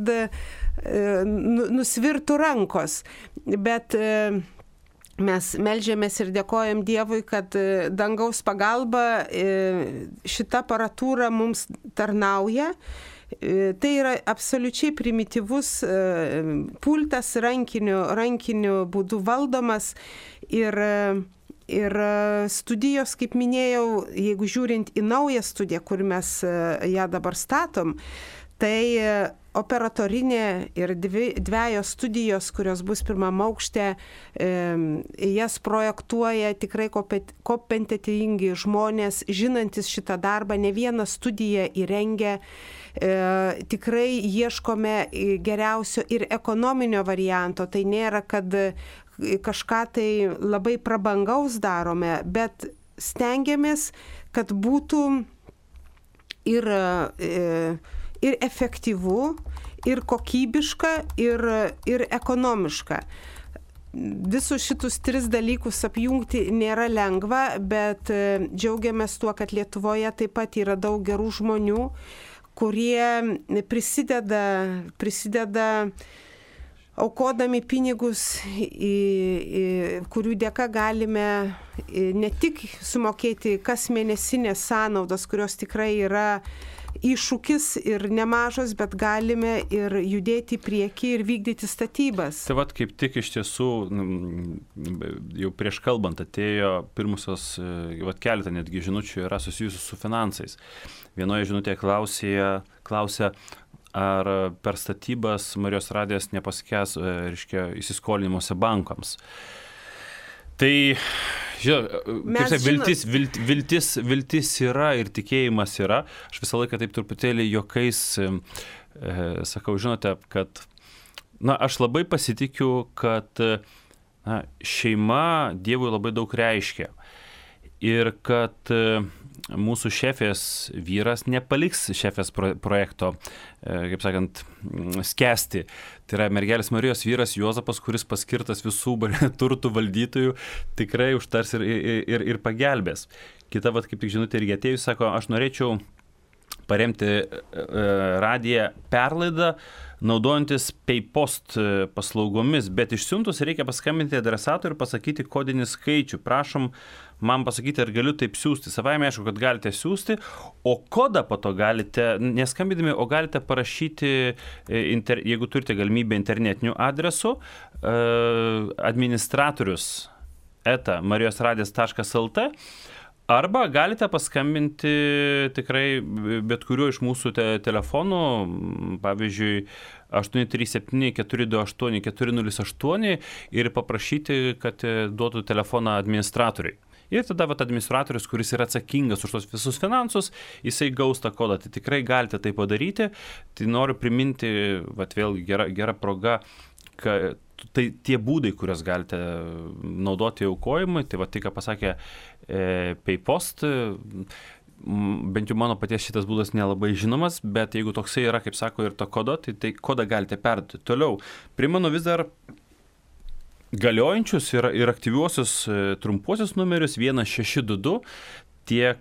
nusvirtų rankos. Bet mes meldžiamės ir dėkojam Dievui, kad dangaus pagalba šita aparatūra mums tarnauja. Tai yra absoliučiai primityvus pultas rankiniu būdu valdomas ir studijos, kaip minėjau, jeigu žiūrint į naują studiją, kur mes ją dabar statom, tai operatorinė ir dviejos studijos, kurios bus pirmam aukšte, jas projektuoja tikrai kompetentingi žmonės, žinantis šitą darbą, ne vieną studiją įrengia. Tikrai ieškome geriausio ir ekonominio varianto. Tai nėra, kad kažką tai labai prabangaus darome, bet stengiamės, kad būtų ir efektyvu, ir kokybiška, ir ekonomiška. Visus šitus 3 dalykus apjungti nėra lengva, bet džiaugiamės tuo, kad Lietuvoje taip pat yra daug gerų žmonių, kurie prisideda aukodami pinigus, kurių dėka galime ne tik sumokėti kasmėnesinės sąnaudas, kurios tikrai yra iššūkis ir nemažas, bet galime ir judėti į priekį ir vykdyti statybas. Tai vat kaip tik iš tiesų, jau prieš kalbant atėjo pirmusios, keletą netgi žinučių yra susijusių su finansais. Vienoje žinutėje klausia, ar per statybas Marijos radijas nepaskęs, įsiskolinimuose bankams. Tai, viltis yra ir tikėjimas yra. Aš visą laiką taip truputėlį juokais sakau, žinote, kad aš labai pasitikiu, kad šeima Dievui labai daug reiškia. Ir kad mūsų šefės vyras nepaliks šefės projekto, kaip sakant, skęsti. Tai yra mergelės Marijos vyras Juozapas, kuris paskirtas visų turtų valdytojų, tikrai užtars ir pagelbės. Kita, kaip tik žinutė irgi atėjus, sako, aš norėčiau paremti radiją perlaidą, naudojantis PayPost paslaugomis, bet išsiuntus reikia paskambinti adresatui ir pasakyti kodinį skaičių. Prašom man pasakyti, ar galiu taip siūsti. Savaime aišku, kad galite siūsti, o kodą po to galite, neskambydami, o galite parašyti, jeigu turite galimybę internetiniu adresu, administratorius @marijosradijas.lt, arba galite paskambinti tikrai bet kuriuo iš mūsų telefonų, pavyzdžiui, 837-428-408 ir paprašyti, kad duotų telefoną administratoriui. Ir tada administratorius, kuris yra atsakingas už tos visus finansus, jisai gaus tą kodą. Tai tikrai galite tai padaryti. Tai noriu priminti, vėlgi gera proga, kad tai tie būdai, kuriuos galite naudoti aukojimui, tai tai, ką pasakė PayPost, bent jau mano paties šitas būdas nelabai žinomas, bet jeigu toksai yra, kaip sako, ir to kodo, tai kodą galite perduoti. Toliau, primenu vis dar galiojančius ir aktyviuosius trumpuosius numerius 1622, tiek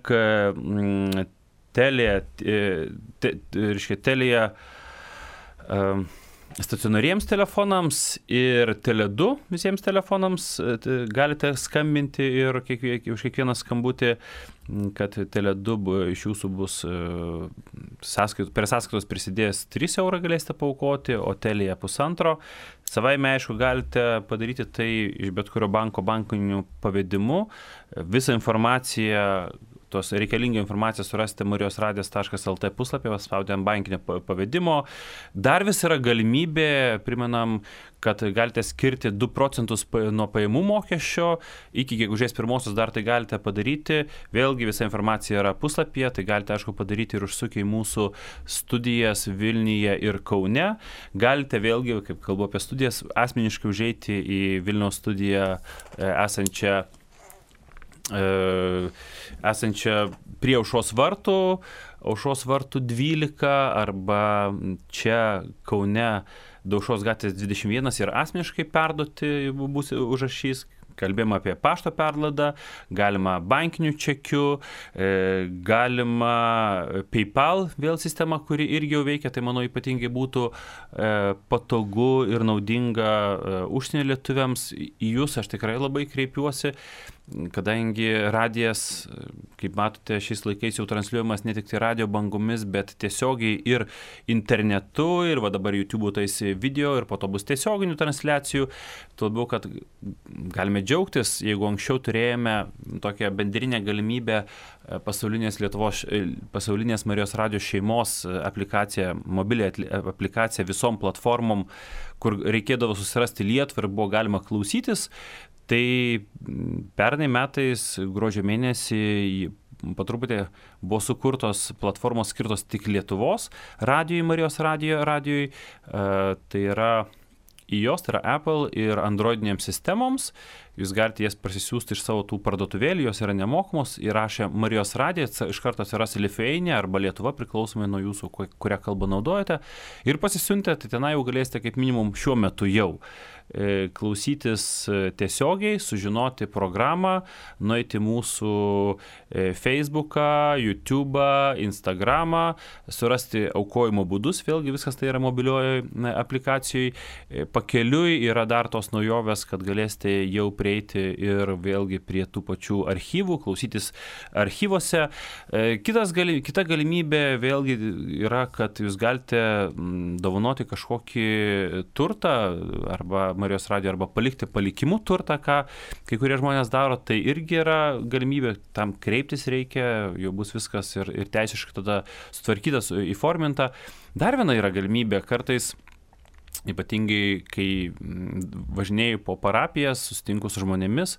Telia stacionariems telefonams ir Tele2 visiems telefonams galite skambinti ir už kiekvieną skambutį, kad Tele2 iš jūsų bus per sąskaitos prisidėjęs 3 eurą galėsite paaukoti, o Telia 1,5. Savaime, aišku, galite padaryti tai iš bet kurio bankiniu pavedimu. Visą informaciją, tos reikalingą informaciją surasite marijosradijas.lt puslapyje, paspaudę ant bankinio pavedimo. Dar vis yra galimybė, primenam, kad galite skirti 2 procentus nuo pajamų mokesčio, iki gegužės 1 dar tai galite padaryti. Vėlgi visa informacija yra puslapyje, tai galite, aišku, padaryti ir užsukę į mūsų studijas Vilniuje ir Kaune. Galite vėlgi, kaip kalbu apie studijas, asmeniškai užeiti į Vilniaus studiją esančią prie Aušros vartų 12, arba čia Kaune Daušos gatvės 21 ir asmeniškai perduoti bus užrašys. Kalbėjome apie pašto perlaidą, galima bankiniu čekiu, galima PayPal vėl sistema, kuri irgi jau veikia, tai manau ypatingai būtų patogu ir naudinga užsienio lietuviams. Į jūs aš tikrai labai kreipiuosi, kadangi radijas, kaip matote, šiais laikais jau transliuojamas ne tik tai radio bangomis, bet tiesiogiai ir internetu, ir dabar YouTube tais video, ir po to bus tiesioginių transliacijų. Tuo labiau, kad galime džiaugtis, jeigu anksčiau turėjome tokią bendrinę galimybę pasaulinės Marijos radijos šeimos aplikaciją, mobilią aplikaciją visom platformom, kur reikėdavo susirasti Lietuvą ir buvo galima klausytis. Tai pernai metais gruodžio mėnesį po truputį buvo sukurtos platformos skirtos tik Lietuvos radijui, Marijos radijui. Tai yra iOS, tai yra Apple ir Androidinėms sistemoms. Jūs galite jas parsisiųsti iš savo tų parduotuvėlių, jos yra nemokamos. Įrašę Marijos radiją, iš karto atsiras Lithuania arba Lietuva, priklausomai nuo jūsų, kurią kalbą naudojate. Ir pasisiuntę, tai tenai jau galėsite kaip minimum šiuo metu jau klausytis tiesiogiai, sužinoti programą, nueiti mūsų Facebooką, YouTube'ą, Instagram'ą, surasti aukojimo būdus, vėlgi viskas tai yra mobilioje aplikacijoje. Pakeliui yra dar tos naujovės, kad galėsite jau prieiti ir vėlgi prie tų pačių archyvų, klausytis archyvose. Kita galimybė vėlgi yra, kad jūs galite dovanoti kažkokį turtą arba Marijos radijo, arba palikti palikimų turtą, ką kai kurie žmonės daro, tai irgi yra galimybė, tam kreiptis reikia, jau bus viskas ir teisiškai tada sutvarkytas, įforminta. Dar viena yra galimybė, kartais ypatingai kai važinėjau po parapijas, susitinku su žmonėmis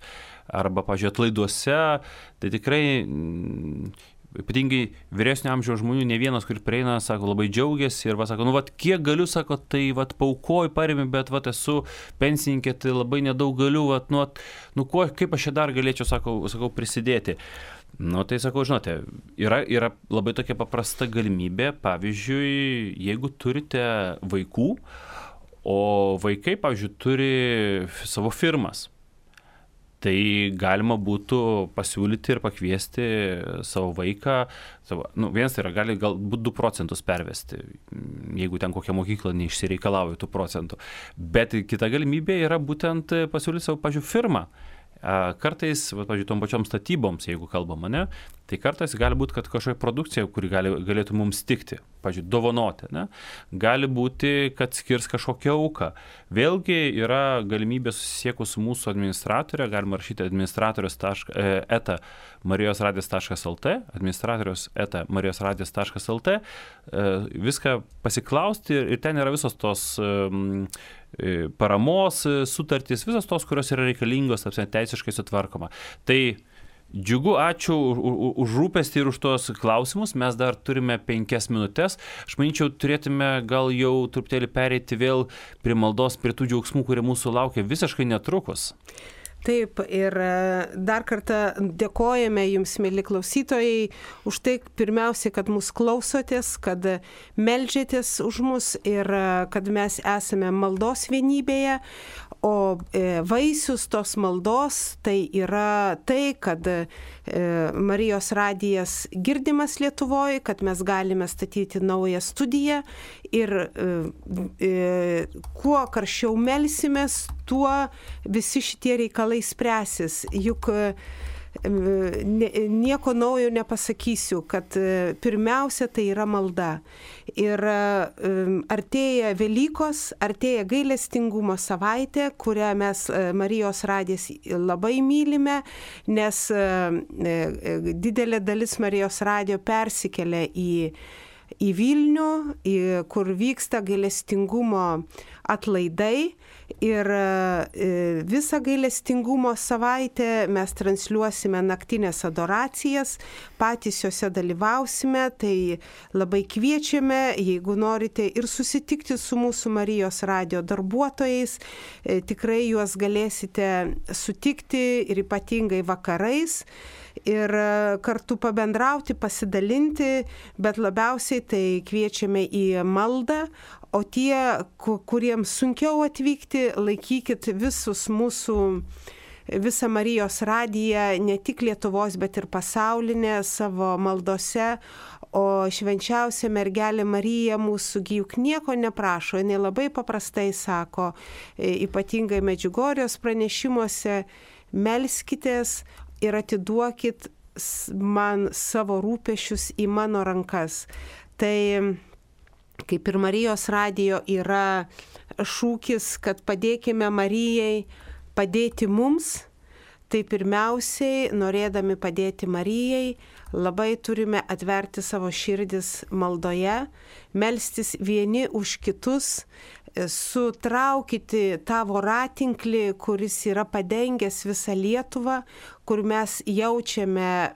arba, pažiūrėjau, atlaiduose, tai tikrai ypatingai vyresnio amžiaus žmonių, ne vienas, kur prieina, sako, labai džiaugiasi ir sako, kiek galiu, sako, tai paaukoju, paremi, bet esu pensininkė, tai labai nedaug galiu, kaip aš čia dar galėčiau, sakau, prisidėti. Tai sakau, žinote, yra labai tokia paprasta galimybė, pavyzdžiui, jeigu turite vaikų, o vaikai, pavyzdžiui, turi savo firmas, tai galima būtų pasiūlyti ir pakviesti savo vaiką, vienas tai yra, gali galbūt 2% pervesti, jeigu ten kokia mokykla neišsireikalauja 2%, bet kita galimybė yra būtent pasiūlyti savo, pavyzdžiui, firmą. Kartais, pavyzdžiui, tom pačiom statyboms, jeigu kalbam, ne, tai kartais gali būti, kad kažkokia produkcija, kuri galėtų mums tikti, pavyzdžiui, dovanoti, ne, gali būti, kad skirs kažkokią auką. Vėlgi yra galimybė susisiekus su mūsų administratorė, galima rašyti administratorius@marijosradijas.lt, administratorius@marijosradijas.lt, viską pasiklausti ir ten yra visos tos paramos sutartys, visos tos, kurios yra reikalingos, teisiškai sutvarkoma. Tai džiugu, ačiū už rūpestį ir už tos klausimus. Mes dar turime 5 minutės. Aš manyčiau, turėtume gal jau truputėlį pereiti vėl prie maldos, prie tų džiaugsmų, kurie mūsų laukia visiškai netrukus. Taip, ir dar kartą dėkojame jums, mėly klausytojai, už tai pirmiausiai, kad mus klausotės, kad meldžiatės už mus ir kad mes esame maldos vienybėje, o vaisius tos maldos tai yra tai, kad Marijos radijas girdimas Lietuvoje, kad mes galime statyti naują studiją ir kuo karščiau melsimės, tuo visi šitie reikalai spręsis. Juk nieko naujo nepasakysiu, kad pirmiausia tai yra malda. Ir artėja Velykos, artėja gailestingumo savaitė, kurią mes Marijos radijas labai mylime, nes didelė dalis Marijos radijo persikelia į Vilnių, kur vyksta gailestingumo atlaidai. Ir visą gailestingumo savaitę mes transliuosime naktinės adoracijas, patys juose dalyvausime, tai labai kviečiame, jeigu norite ir susitikti su mūsų Marijos radijo darbuotojais, tikrai juos galėsite sutikti ir ypatingai vakarais. Ir kartu pabendrauti, pasidalinti, bet labiausiai tai kviečiame į maldą, o tie, kuriems sunkiau atvykti, laikykit visą Marijos radiją, ne tik Lietuvos, bet ir pasaulinę savo maldose, o švenčiausia mergelė Marija mūsų juk nieko neprašo, jinai labai paprastai sako, ypatingai Medžiugorjės pranešimuose, melskitės ir atiduokit man savo rūpesčius į mano rankas. Tai kaip ir Marijos radijo yra šūkis, kad padėkime Marijai padėti mums, tai pirmiausiai, norėdami padėti Marijai, labai turime atverti savo širdis maldoje, melstis vieni už kitus, sutraukyti tą voratinklį, kuris yra padengęs visą Lietuvą, kur mes jaučiame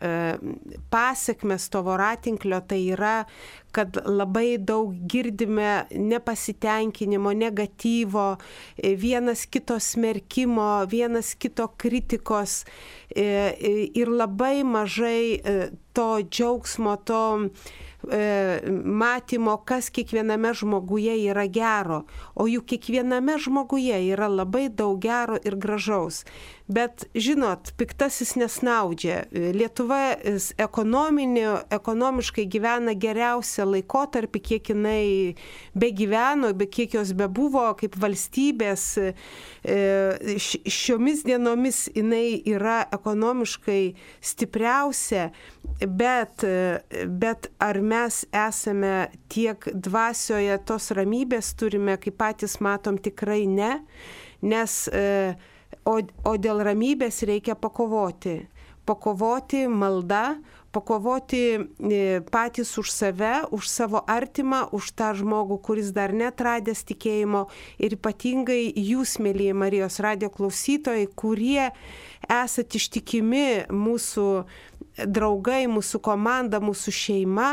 pasekmes to voratinklio, tai yra, kad labai daug girdime nepasitenkinimo, negatyvo, vienas kito smerkimo, vienas kito kritikos ir labai mažai to džiaugsmo, to matymo, kas kiekviename žmoguje yra gero, o juk kiekviename žmoguje yra labai daug gero ir gražaus. Bet, žinot, piktasis nesnaudžia. Lietuva ekonomiškai gyvena geriausią laikotarpį, kiek jinai begyveno, kiek jos bebuvo kaip valstybės. Šiomis dienomis jinai yra ekonomiškai stipriausia, bet ar mes esame tiek dvasioje tos ramybės turime, kaip patys matom, tikrai ne, nes o dėl ramybės reikia pakovoti. Pakovoti malda, pakovoti patys už save, už savo artimą, už tą žmogų, kuris dar netradęs tikėjimo ir ypatingai jūs, mėlyje Marijos radijo klausytojai, kurie esat ištikimi mūsų draugai, mūsų komanda, mūsų šeima.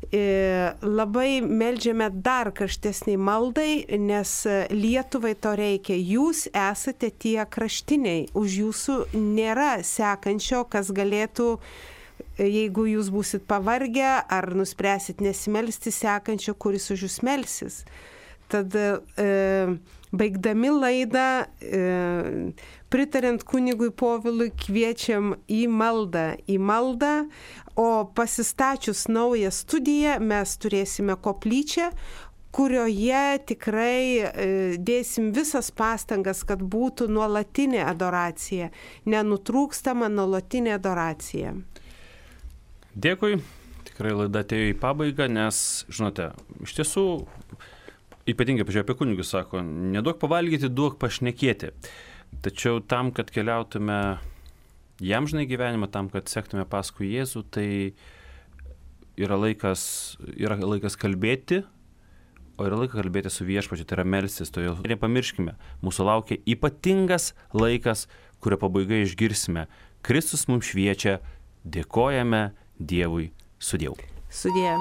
Labai meldžiame dar karštesniai maldai, nes Lietuvai to reikia. Jūs esate tie kraštiniai, už jūsų nėra sekančio, kas galėtų, jeigu jūs būsit pavargę ar nuspręsit nesimelsti, sekančio, kuris už jūs melsis. Tad baigdami laidą, pritarint kunigui Povilui, kviečiam į maldą, o pasistačius naują studiją mes turėsime koplyčią, kurioje tikrai dėsim visas pastangas, kad būtų nuolatinė adoracija, nenutrūkstama nuolatinė adoracija. Dėkui, tikrai laida atėjo į pabaigą, nes, žinote, iš tiesų, ypatingai, pažiūrėjau, apie kunigus sako, neduok pavalgyti, duok pašnekėti. Tačiau tam, kad keliautume į amžinąjį gyvenimą, tam, kad sektume paskui Jėzų, tai yra laikas kalbėti, o yra laikas kalbėti su viešpačiu, tai yra melstis. Todėl nepamirškime, mūsų laukia ypatingas laikas, kurio pabaigai išgirsime. Kristus mums šviečia, dėkojame Dievui, sudieu. Sudieu.